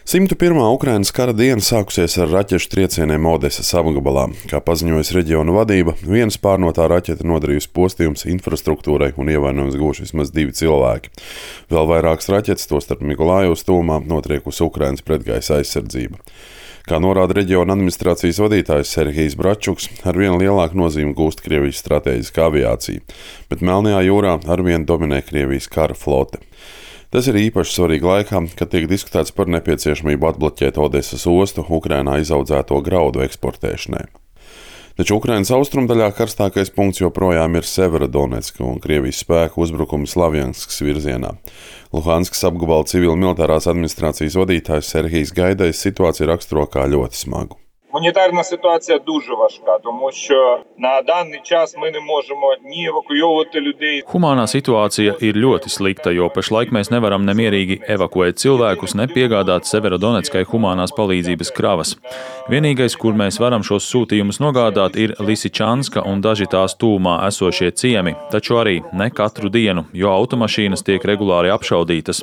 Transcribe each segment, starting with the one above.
101. Ukrainas kara diena sākusies ar raķešu triecieniem Odesas apgabalā. Kā paziņojusi reģiona vadība, viena spārnotā raķete nodarījusi postījumus infrastruktūrai un ievainojums guvuši vismaz 2 cilvēki. Vēl vairākas raķetes, tostarp Mikolājevas tuvumā, notriekusi Ukrainas pretgaisa aizsardzība. Kā norāda reģiona administrācijas vadītājs Serhijs Bračuks, arvien lielāku nozīmi gūst Krievijas stratēģiskā aviācija, bet Melnajā jūrā arvien dominē Krievijas kara flote. Tas ir īpaši svarīgi laikā, kad tiek diskutēts par nepieciešamību atbloķēt Odesas ostu Ukrainā izaudzēto graudu eksportēšanai. Taču Ukrainas austrumdaļā karstākais punkts joprojām ir Severodonetska un Krievijas spēku uzbrukumi Slavjanskas virzienā. Luhanskas apgabala civil-militārās administrācijas vadītājs Serhijs Gaidais situāciju raksturo kā ļoti smagu. Гуманітарна ситуація дуже важка, тому що на даний час ми не можемо ні евакуйовувати людей. Humānā situācija ir ļoti slikta, jo pašlaik mēs nevaram nemierīgi evakuēt cilvēkus, ne piegādāt Severodonetskai humānās palīdzības kravas. Vienīgais, kur mēs varam šos sūtījumus nogādāt, ir Lisičanska un daži tās tūmā esošie ciemi, taču arī ne katru dienu, jo automašīnas tiek regulāri apšaudītas.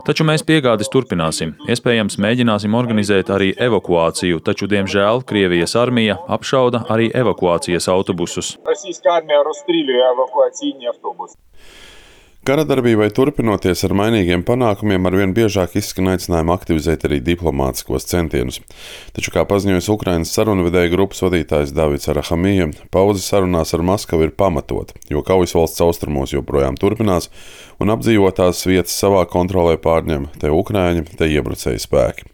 Taču mēs piegādes turpināsim. Iespējams, mēģināsim organizēt arī evakuāciju, taču, diemžēl, Krievijas armija apšauda arī evakuācijas autobusus. Російська армія розстрілює евакуаційні автобуси. Kara darbībai turpinoties ar mainīgiem panākumiem, arvien biežāk izskan aicinājumi aktivizēt arī diplomātiskos centienus. Taču, kā paziņojas Ukrainas sarunvedēju grupas vadītājs Davids Arahamija, pauze sarunās ar Maskavu ir pamatota, jo kaujas valsts austrumos joprojām turpinās un apdzīvotās vietas savā kontrolē pārņem te Ukraiņi, te iebrucēji spēki.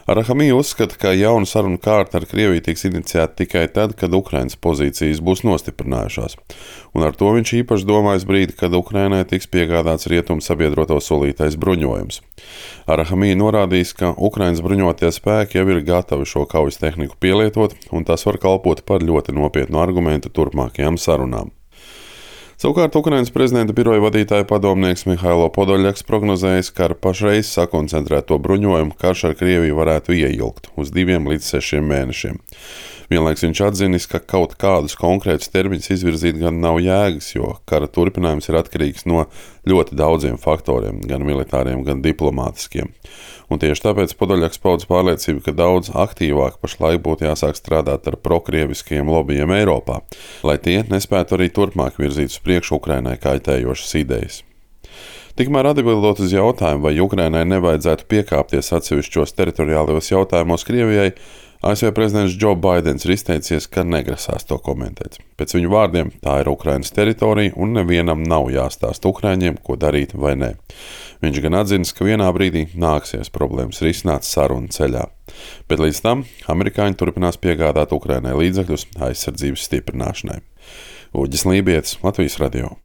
Arahamija uzskata, ka jauna sarunu kārta ar Krieviju tiks iniciēta tikai tad, kad Ukrainas pozīcijas būs nostiprinājušās. Un ar to viņš īpaši domājas brīdi, kad Ukrainai tiks piegādāts rietumu sabiedroto solītais bruņojums. Arahamija norādījis, ka Ukrainas bruņotie spēki jau ir gatavi šo kaujas tehniku pielietot, un tas var kalpot par ļoti nopietnu argumentu turpmākajām sarunām. Savukārt Ukrainas prezidenta biroja vadītāja padomnieks Mihailo Podoļaks prognozējis, ka ar pašreiz sakoncentrēto bruņojumu karš ar Krieviju varētu ieilgt uz 2 līdz 6 mēnešiem. Vienlaiks viņš atzinis, ka kaut kādus konkrētus termiņus izvirzīt gan nav jēgas, jo kara turpinājums ir atkarīgs no ļoti daudziem faktoriem, gan militāriem, gan diplomātiskiem. Un tieši tāpēc Podoļaks paudz pārliecību, ka daudz aktīvāk pašlaik būtu jāsāk strādāt ar prokrieviskajiem lobbyiem Eiropā, lai tie nespētu arī turpmāk virzīt uz priekšu Ukrainai kaitējošas idejas. Tikmēr atbildot uz jautājumu, vai Ukrainai nevajadzētu piekāpties atsevišķos teritoriālajos jautājumos Krievijai, ASV prezidents Joe Baidens ir izteicies, ka negrasās to komentēt. Pēc viņu vārdiem tā ir Ukrainas teritorija un nevienam nav jāstāst Ukraiņiem, ko darīt vai nē. Viņš gan atzinis, ka vienā brīdī nāksies problēmas risināt sarunu ceļā. Bet līdz tam amerikāņi turpinās piegādāt Ukrainai līdzekļus aizsardzības stiprināšanai. Uģis Lībietis, Latvijas radio.